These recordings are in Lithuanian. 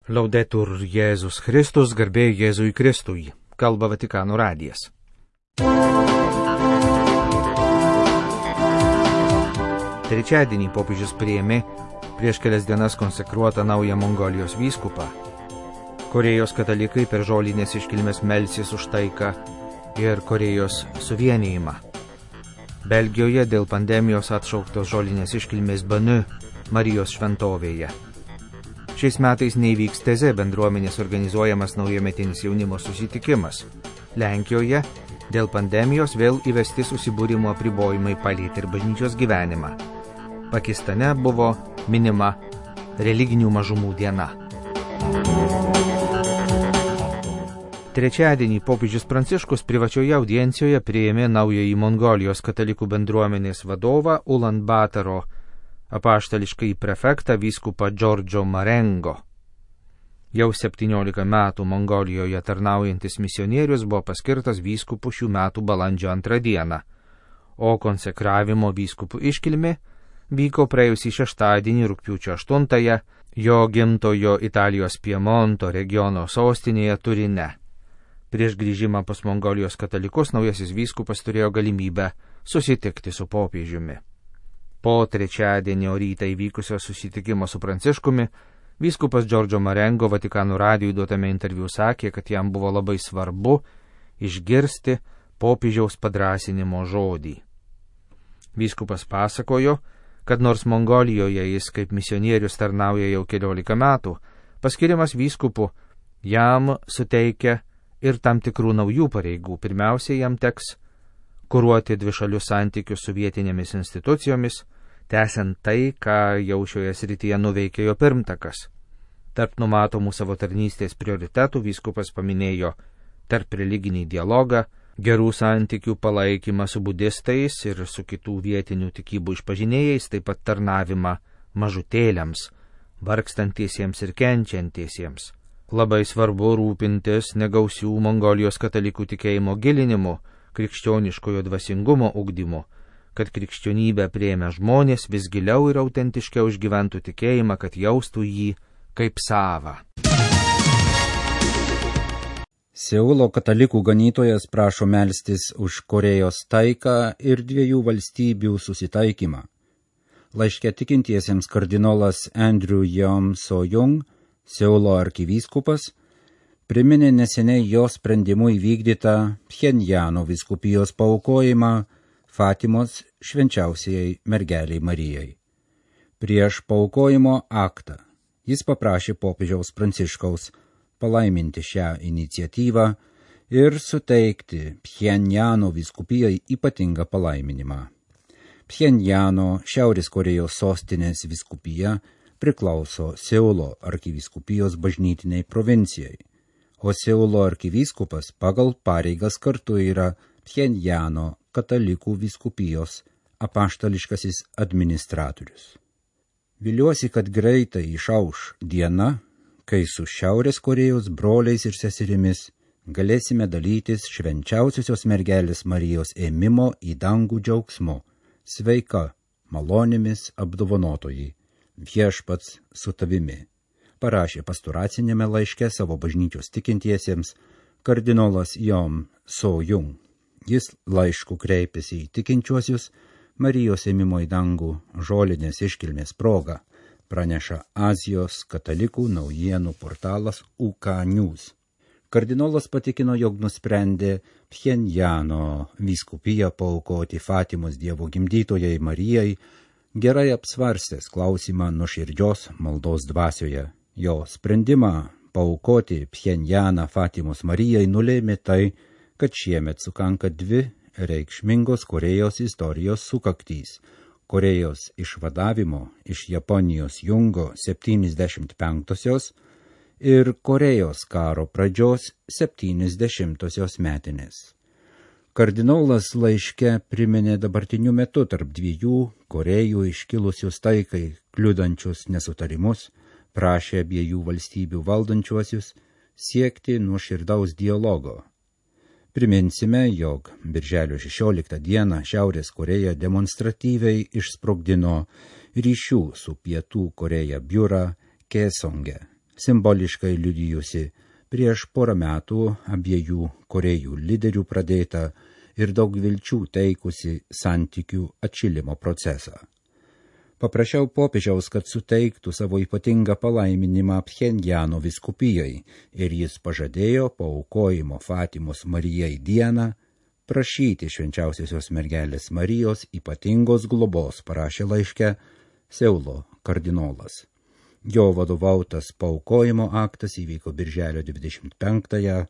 Laudetur Jėzus Kristus, garbė Jėzui Kristui, kalba Vatikano radijas. Trečiadienį popiežius priėmė prieš kelias dienas konsekruotą naują Mongolijos vyskupą. Korėjos katalikai per žolinės iškilmes melsis už taiką ir Korėjos suvienijimą. Belgijoje dėl pandemijos atšauktos žolinės iškilmės Banu, Marijos šventovėje. Šiais metais neįvyks Teze bendruomenės organizuojamas naujametinis jaunimo susitikimas. Lenkijoje dėl pandemijos vėl įvesti susibūrimo apribojimai palietė ir bažnyčios gyvenimą. Pakistane buvo minima religinių mažumų diena. Trečiadienį popiežius Pranciškus privačioje audiencijoje priėmė naująjį Mongolijos katalikų bendruomenės vadovą Ulan Bataro apaštališkąjį prefektą vyskupą Džordžo Marengo. Jau 17 metų Mongolijoje tarnaujantis misionierius buvo paskirtas vyskupu šių metų balandžio 2 dieną, o konsekravimo vyskupų iškilmė vyko praėjusį šeštadienį rugpjūčio 8 jo gimtojo Italijos Piemonto regiono sostinėje Turine. Prieš grįžimą pas Mongolijos katalikus naujasis vyskupas turėjo galimybę susitikti su popiežiumi. Po trečiadienio rytą įvykusio susitikimo su Pranciškumi, vyskupas Džordžo Marengo Vatikano radijui duotame interviu sakė, kad jam buvo labai svarbu išgirsti popiežiaus padrąsinimo žodį. Vyskupas pasakojo, kad nors Mongolijoje jis kaip misionierius tarnauja jau 14 metų, paskirimas vyskupu jam suteikia ir tam tikrų naujų pareigų. Pirmiausia, jam teks kuruoti dvišalius santykius su vietinėmis institucijomis, tęsiant tai, ką jau šioje srityje nuveikė jo pirmtakas. Tarp numatomų savo tarnystės prioritetų vyskupas paminėjo tarp religinį dialogą, gerų santykių palaikymą su budistais ir su kitų vietinių tikybų išpažinėjais, taip pat tarnavimą mažutėliams, vargstantiesiems ir kenčiantiesiems. Labai svarbu rūpintis negausių Mongolijos katalikų tikėjimo gilinimu, krikščioniškojo dvasingumo ugdymu, kad krikščionybę priėmę žmonės vis giliau ir autentiškiau išgyventų tikėjimą, kad jaustų jį kaip savą. Seulo katalikų ganytojas prašo melstis už Korėjos taiką ir dviejų valstybių susitaikymą. Laiške tikintiesiems kardinolas Andrew Yeom So-jung, Seulo arkivyskupas, priminė neseniai jo sprendimu įvykdytą Pchenjano vyskupijos paaukojimą Fatimos švenčiausiai mergeliai Marijai. Prieš paaukojimo aktą jis paprašė popiežiaus Pranciškaus palaiminti šią iniciatyvą ir suteikti Pchenjano vyskupijai ypatingą palaiminimą. Pchenjano Šiaurės Korėjos sostinės vyskupija priklauso Seulo arkivyskupijos bažnytiniai provincijai, o Seulo arkivyskupas pagal pareigas kartu yra Pchenjano katalikų vyskupijos apaštališkasis administratorius. Viliuosi, kad greitai išauš diena, kai su Šiaurės Korėjos broliais ir seserimis galėsime dalytis švenčiausiosios mergelės Marijos ėmimo į dangų džiaugsmu, sveika, malonėmis apdovanotoji, viešpats su tavimi, parašė pastoracinėme laiške savo bažnyčios tikintiesiems kardinolas Yeom So-jung. Jis laišku kreipėsi į tikinčiuosius Marijos ėmimo į dangų žolinės iškilmės proga, praneša Azijos katalikų naujienų portalas UK News. Kardinolas patikino, jog nusprendė Pchenjano vyskupiją paaukoti Fatimos Dievo gimdytojai Marijai, gerai apsvarstęs klausimą nuoširdžios maldos dvasioje. Jo sprendimą paaukoti Pchenjaną Fatimos Marijai nulėmė tai, kad šiemet sukanka dvi reikšmingos Korėjos istorijos sukaktys – Korėjos išvadavimo iš Japonijos jungo 75-osios ir Korėjos karo pradžios 70-osios metinės. Kardinolas laiške priminė dabartiniu metu tarp dviejų Korėjų iškilusius taikai kliudančius nesutarimus, prašė abiejų valstybių valdančiuosius siekti nuoširdaus dialogo. Priminsime, jog birželio 16 dieną Šiaurės Korėja demonstratyviai išsprogdino ryšių su Pietų Koreja biurą Kaesonge, simboliškai liudijusi prieš porą metų abiejų Korėjų lyderių pradėtą ir daug vilčių teikusi santykių atšilimo procesą. Paprašiau popiežiaus, kad suteiktų savo ypatingą palaiminimą Pchenjano vyskupijai ir jis pažadėjo paaukojimo Fatimos Marijai dieną prašyti švenčiausiosios mergelės Marijos ypatingos globos, parašė laiške Seulo kardinolas. Jo vadovautas paaukojimo aktas įvyko birželio 25-ąją,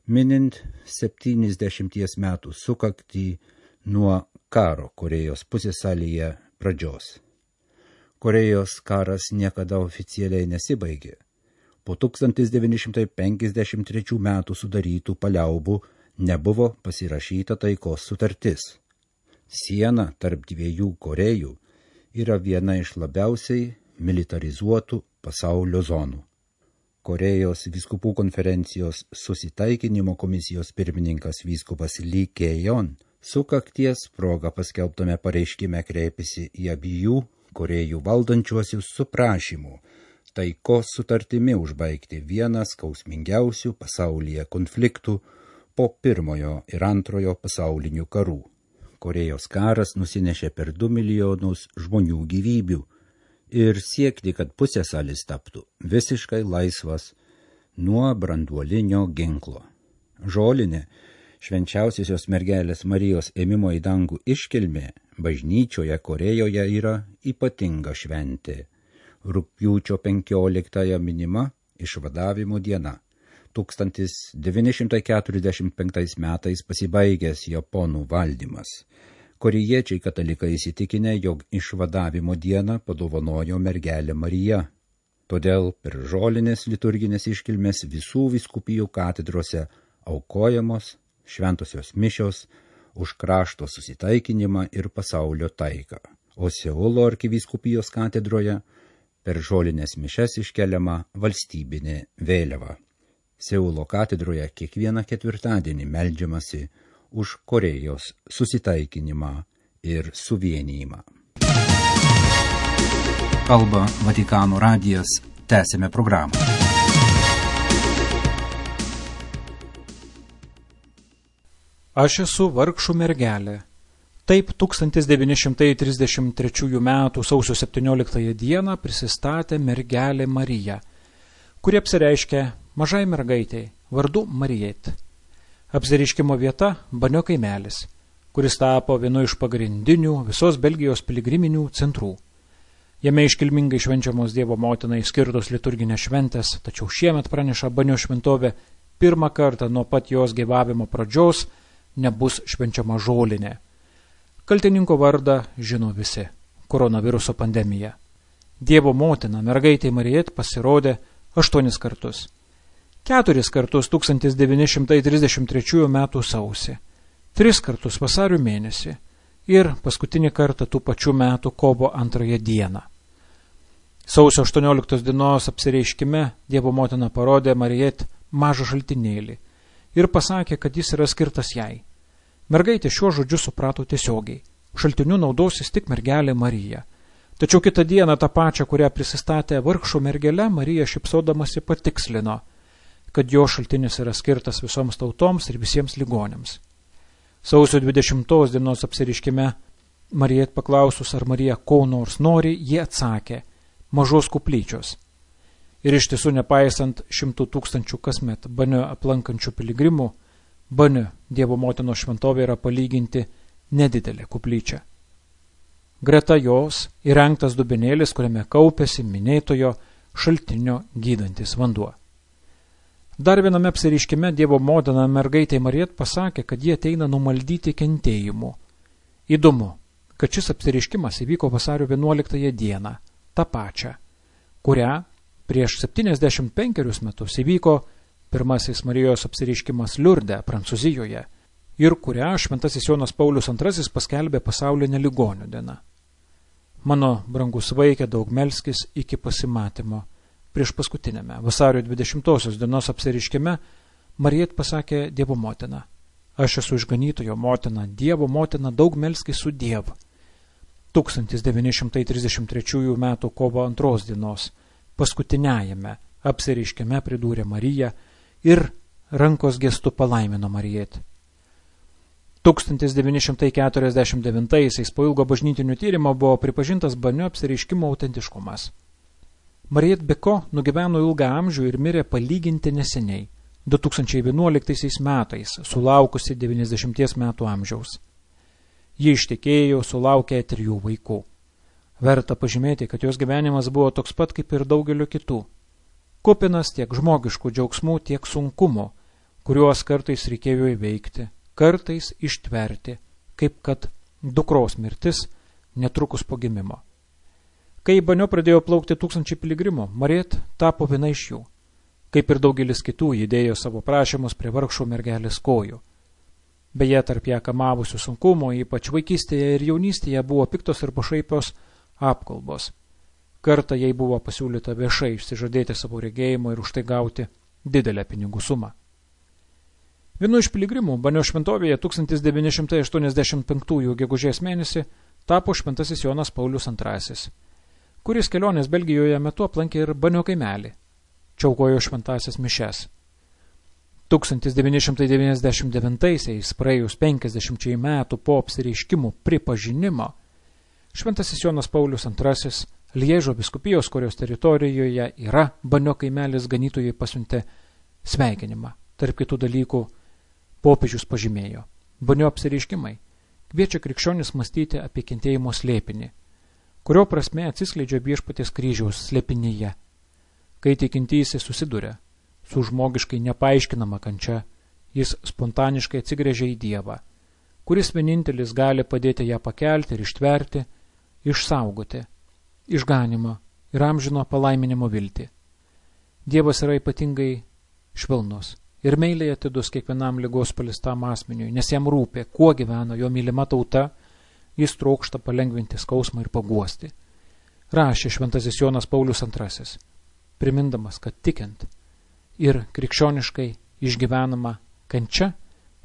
minint 70 metų sukaktį nuo karo Korėjos pusiasalyje pradžios. Korėjos karas niekada oficialiai nesibaigė. Po 1953 metų sudarytų paliaubų nebuvo pasirašyta taikos sutartis. Siena tarp dviejų Korėjų yra viena iš labiausiai militarizuotų pasaulio zonų. Korėjos vyskupų konferencijos susitaikinimo komisijos pirmininkas vyskupas Lee Kye-jon sukakties proga paskelbtame pareiškime kreipėsi į abiejų Korėjų valdančiuosius su prašymu taikos sutartimi užbaigti vieną skausmingiausių pasaulyje konfliktų po Pirmojo ir Antrojo pasaulinių karų. Korėjos karas nusinešė per 2 milijonus žmonių gyvybių ir siekti, kad pusiasalis taptų visiškai laisvas nuo branduolinio ginklo. Žolinė, švenčiausiosios mergelės Marijos ėmimo į dangų iškilmė, bažnyčioje Korėjoje yra ypatinga šventė. Rugpjūčio 15 minima išvadavimo diena. 1945 metais pasibaigęs Japonų valdymas. Korėjiečiai katalikai įsitikinę, jog išvadavimo dieną padovanojo mergelė Marija. Todėl per žolinės liturginės iškilmės visų vyskupijų katedrose aukojamos šventosios mišios už krašto susitaikinimą ir pasaulio taiką, o Seulo arkivyskupijos katedroje per žolinės mišias iškeliama valstybinė vėliava. Seulo katedroje kiekvieną ketvirtadienį meldžiamasi už Korėjos susitaikinimą ir suvienijimą. Kalba Vatikano radijas, tęsime programą. Aš esu vargšų mergelė. Taip 1933 m. sausio 17 dieną prisistatė mergelė Marija, kuri apsireiškė mažai mergaitei vardu Marijet. Apsireiškimo vieta Banio kaimelis, kuris tapo vienu iš pagrindinių visos Belgijos piligriminių centrų. Jame iškilmingai švenčiamos Dievo motinai skirtos liturginės šventės, tačiau šiemet praneša Banio šventovė pirmą kartą nuo pat jos gyvavimo pradžios nebus švenčiama žolinė. Kaltininko vardą žino visi – koronaviruso pandemija. Dievo motina mergaitė Marijet pasirodė 8 kartus. 4 kartus 1933 m. sausį, 3 kartus vasario mėnesį ir paskutinį kartą tų pačių metų kovo 2 dieną. Sausio 18 dienos apsireiškime Dievo motina parodė Marijet mažą šaltinėlį ir pasakė, kad jis yra skirtas jai. Mergaitė šiuo žodžiu suprato tiesiogiai. Šaltiniu naudosis tik mergelė Marija. Tačiau kitą dieną tą pačią, kurią prisistatė vargšų mergelė, Marija šypsodamasi patikslino, kad jo šaltinis yra skirtas visoms tautoms ir visiems ligoniams. Sausio 20 dienos apsireiškime Marijet paklausus, ar Marija ko nors nori, jie atsakė – mažos kuplyčios. Ir iš tiesų, nepaisant 100 000 kasmet Banio aplankančių piligrimų, Banio Dievo motinos šventovė yra palyginti nedidelė kuplyčia. Greta jos įrengtas dubenėlis, kuriame kaupėsi minėtojo šaltinio gydantis vanduo. Dar viename apsireiškime Dievo motina mergaitė Marijet pasakė, kad jie ateina numaldyti kentėjimų. Įdomu, kad šis apsireiškimas įvyko vasario 11 dieną, tą pačią, kurią prieš 75 metus įvyko pirmasis Marijos apsireiškimas Liurde, Prancūzijoje, ir kurią šventasis Jonas Paulius II paskelbė pasaulinę ligonių dieną. Mano brangus vaike, daug melskis iki pasimatymo. Prieš paskutinėme vasario 20 dienos apsireiškime Marijet pasakė Dievo motina: aš esu išganytojo motina, Dievo motina, daug melskis su Dievu. 1933 m. kovo 2 dienos paskutiniajame apsireiškime pridūrė Marija ir rankos gestu palaimino Marijetį. 1949 po ilgo bažnytinio tyrimo buvo pripažintas Banio apsireiškimo autentiškumas. Marijet Beko nugyveno ilgą amžių ir mirė palyginti neseniai, 2011 metais, sulaukusi 90 metų amžiaus. Ji ištekėjo, sulaukė 3 vaikų. Verta pažymėti, kad jos gyvenimas buvo toks pat kaip ir daugelio kitų. Kupinas tiek žmogiškų džiaugsmų, tiek sunkumo, kuriuos kartais reikėjo įveikti, kartais ištverti, kaip kad dukros mirtis netrukus po gimimo. Kai Banio pradėjo plaukti 1000 piligrimų, Marijet tapo viena iš jų. Kaip ir daugelis kitų, ji dėjo savo prašymus prie vargšų mergelės kojų. Beje, tarp ją kamavusių sunkumo, ypač vaikystėje ir jaunystėje, buvo piktos ir pašaipios apkalbos. Kartą jai buvo pasiūlyta viešai išsižadėti savo regėjimo ir už tai gauti didelę pinigų sumą. Vienu iš piligrimų Banio šventovėje 1985 gegužės mėnesį tapo šventasis Jonas Paulius II, kuris kelionės Belgijoje metu aplankė ir Banio kaimelį, čiaukojo šventasias mišes. 1999, praėjus 50 metų po apsireiškimų pripažinimo, šventasis Jonas Paulius II Liežo vyskupijos, kurios teritorijoje yra Banio kaimelis, ganytojai pasiuntė sveikinimą. Tarp kitų dalykų popiežius pažymėjo: Banio apsireiškimai kviečia krikščionis mąstyti apie kentėjimo slėpinį, kurio prasme atsiskleidžia viešpaties kryžiaus slėpinyje. Kai tikintysis susiduria su žmogiškai nepaaiškinama kančia, jis spontaniškai atsigręžia į Dievą, kuris vienintelis gali padėti ją pakelti ir ištverti, išsaugoti išganimą ir amžino palaiminimo viltį. Dievas yra ypatingai švelnus ir meiliai atidus kiekvienam ligos palistam asmeniui, nes jam rūpė, kuo gyvena jo mylima tauta, jis trokšta palengvinti skausmą ir paguosti. Rašė šventasis Jonas Paulius II, primindamas, kad tikint ir krikščioniškai išgyvenama kančia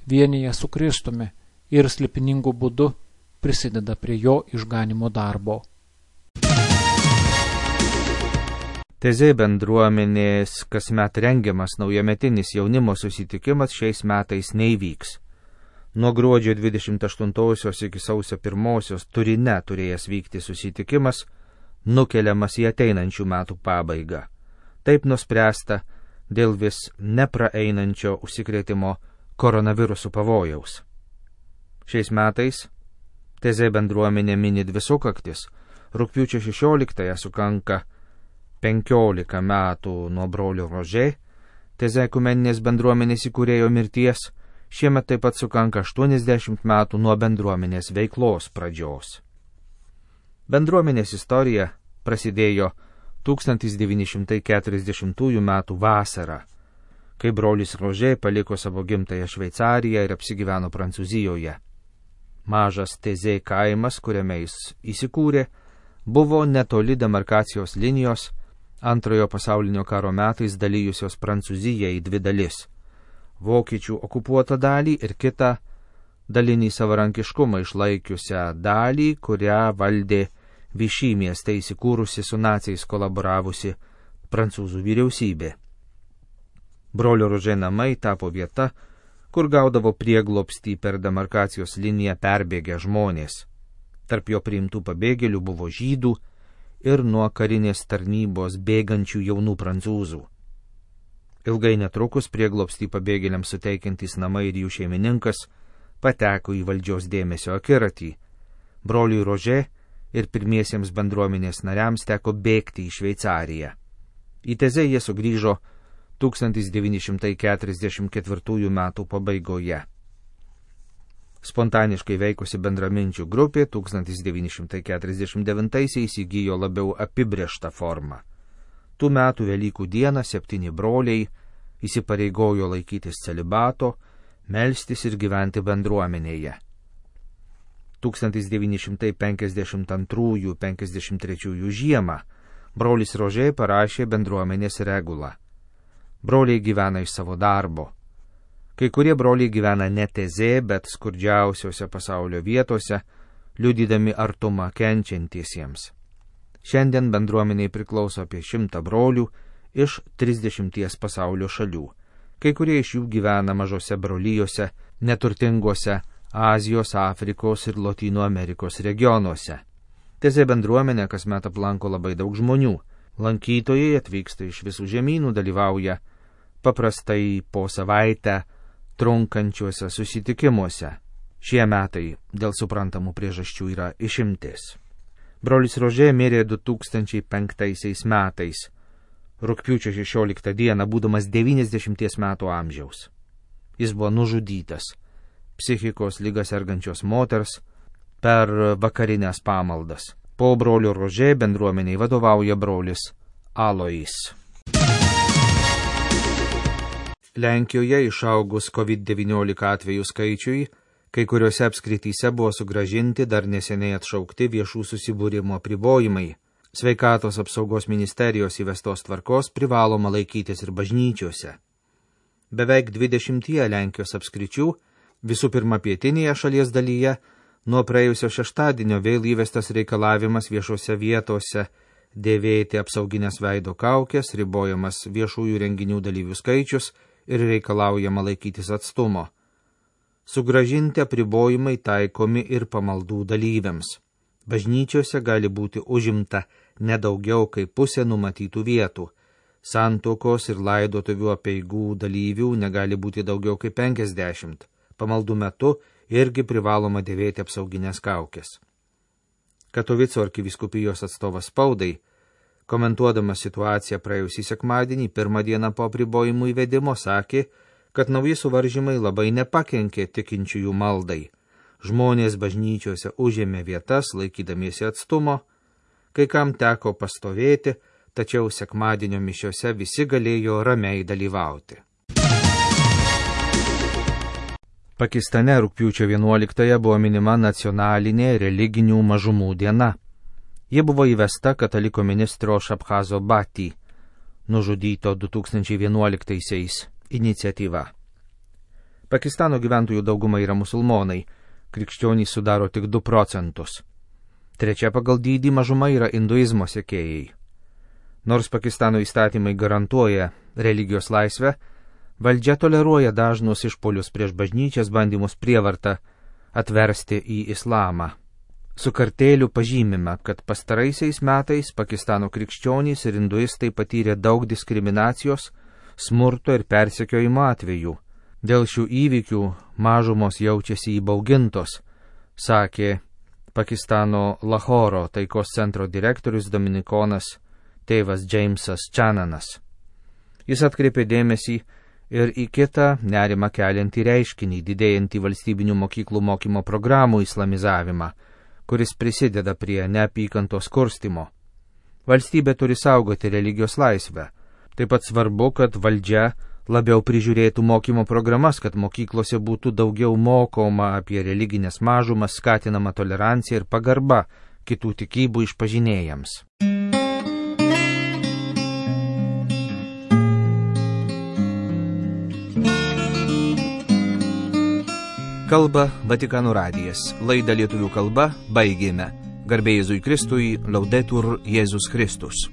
vienyje su Kristumi ir slėpiningu būdu prisideda prie jo išganimo darbo. Tezė bendruomenės kasmet rengiamas naujametinis jaunimo susitikimas šiais metais neįvyks. Nuo gruodžio 28 iki sausio 1 Turine turėjęs vykti susitikimas nukeliamas į ateinančių metų pabaigą. Taip nuspręsta dėl vis nepraeinančio užsikrėtimo koronavirusų pavojaus. Šiais metais Tezė bendruomenė mini 2 sukaktis. Rugpjūčio 16 sukanka 15 metų nuo brolio Rožė, Tezė ekumeninės bendruomenės įkūrėjo mirties, šiemet taip pat sukanka 80 metų nuo bendruomenės veiklos pradžios. Bendruomenės istorija prasidėjo 1940 metų vasarą, kai brolis Rožė paliko savo gimtąją Šveicariją ir apsigyveno Prancūzijoje. Mažas Tezė kaimas, kuriame jis įsikūrė, buvo netoli demarkacijos linijos, Antrojo pasaulinio karo metais dalijusios Prancūziją į 2 dalis – vokiečių okupuotą dalį ir kitą dalinį savarankiškumą išlaikiusią dalį, kurią valdė Vichy mieste įsikūrusi su naciais kolaboravusi prancūzų vyriausybė. Brolio Rožė namai tapo vieta, kur gaudavo prieglobstį per demarkacijos liniją perbėgę žmonės. Tarp jo priimtų pabėgėlių buvo žydų ir nuo karinės tarnybos bėgančių jaunų prancūzų. Ilgai netrukus prieglobstį pabėgėliams suteikiantys namai ir jų šeimininkas pateko į valdžios dėmesio akiratį. Broliui Rožė ir pirmiesiems bendruomenės nariams teko bėgti į Šveicariją. Į Tezę jie sugrįžo 1944 metų pabaigoje. Spontaniškai veikusi bendraminčių grupė 1949 įgijo labiau apibrėžtą formą. Tų metų Velykų dieną 7 broliai įsipareigojo laikytis celibato, melstis ir gyventi bendruomenėje. 1952-53 žiemą brolis Rožė parašė bendruomenės regulą. Broliai gyvena iš savo darbo. Kai kurie broliai gyvena ne Tezė, bet skurdžiausiose pasaulio vietose, liudydami artumą kenčiantiesiems. Šiandien bendruomeniai priklauso apie 100 brolių iš 30 pasaulio šalių. Kai kurie iš jų gyvena mažose brolyjose, neturtinguose Azijos, Afrikos ir Lotynų Amerikos regionuose. Tezė bendruomenė kasmet aplanko labai daug žmonių. Lankytojai atvyksta iš visų žemynų, dalyvauja paprastai po savaitę trunkančiuose susitikimuose. Šie metai dėl suprantamų priežasčių yra išimtis. Brolis Rožė mirė 2005 metais, rugpjūčio 16 dieną, būdamas 90 metų amžiaus. Jis buvo nužudytas psichikos ligą sergančios moters per vakarinės pamaldas. Po brolio Rožė bendruomeniai vadovauja brolis Alois. Lenkijoje išaugus COVID-19 atvejų skaičiui, kai kuriuose apskrityse buvo sugrąžinti dar neseniai atšaukti viešų susibūrimo apribojimai. Sveikatos apsaugos ministerijos įvestos tvarkos privaloma laikytis ir bažnyčiose. Beveik 20 Lenkijos apskričių, visų pirma pietinėje šalies dalyje, nuo praėjusio šeštadienio vėl įvestas reikalavimas viešose vietose dėvėti apsauginės veido kaukės, ribojamas viešųjų renginių dalyvių skaičius ir reikalaujama laikytis atstumo. Sugrąžinti apribojimai taikomi ir pamaldų dalyviams. Bažnyčiose gali būti užimta nedaugiau kaip pusė numatytų vietų. Santuokos ir laidotuvių apeigų dalyvių negali būti daugiau kaip 50. Pamaldų metu irgi privaloma dėvėti apsauginės kaukės. Katovico arkivyskupijos atstovas spaudai, komentuodamas situaciją praėjusį sekmadienį, pirmą dieną po apribojimų įvedimo, sakė, kad nauji suvaržymai labai nepakenkė tikinčiųjų maldai. Žmonės bažnyčiose užėmė vietas, laikydamiesi atstumo, kai kam teko pastovėti, tačiau sekmadienio mišiose visi galėjo ramiai dalyvauti. Pakistane rugpjūčio 11 buvo minima nacionalinė religinių mažumų diena. Ji buvo įvesta kataliko ministro Šabhazo Bhatti, nužudyto 2011 iniciatyva. Pakistano gyventojų dauguma yra musulmonai, krikščionys sudaro tik 2 procentus. Trečia pagal dydį mažuma yra hinduizmo sekėjai. Nors Pakistano įstatymai garantuoja religijos laisvę, valdžia toleruoja dažnus išpolius prieš bažnyčias, bandymus prievartą atversti į islamą. Su kartėliu pažymime, kad pastaraisiais metais Pakistano krikščionys ir hinduistai patyrė daug diskriminacijos, smurto ir persekiojimo atvejų. Dėl šių įvykių mažumos jaučiasi įbaugintos, sakė Pakistano Lahoro taikos centro direktorius dominikonas tėvas Džeimsas Čananas. Jis atkreipė dėmesį ir į kitą nerimą keliantį reiškinį, didėjantį valstybinių mokyklų mokymo programų islamizavimą, kuris prisideda prie neapykantos kurstymo. Valstybė turi saugoti religijos laisvę. Taip pat svarbu, kad valdžia labiau prižiūrėtų mokymo programas, kad mokyklose būtų daugiau mokoma apie religinės mažumas, skatinama tolerancija ir pagarba kitų tikybų išpažinėjams. Kalba Vatikano radijas. Laidą lietuvių kalba baigėme. Garbė Jėzui Kristui, Laudetur Jėzus Kristus.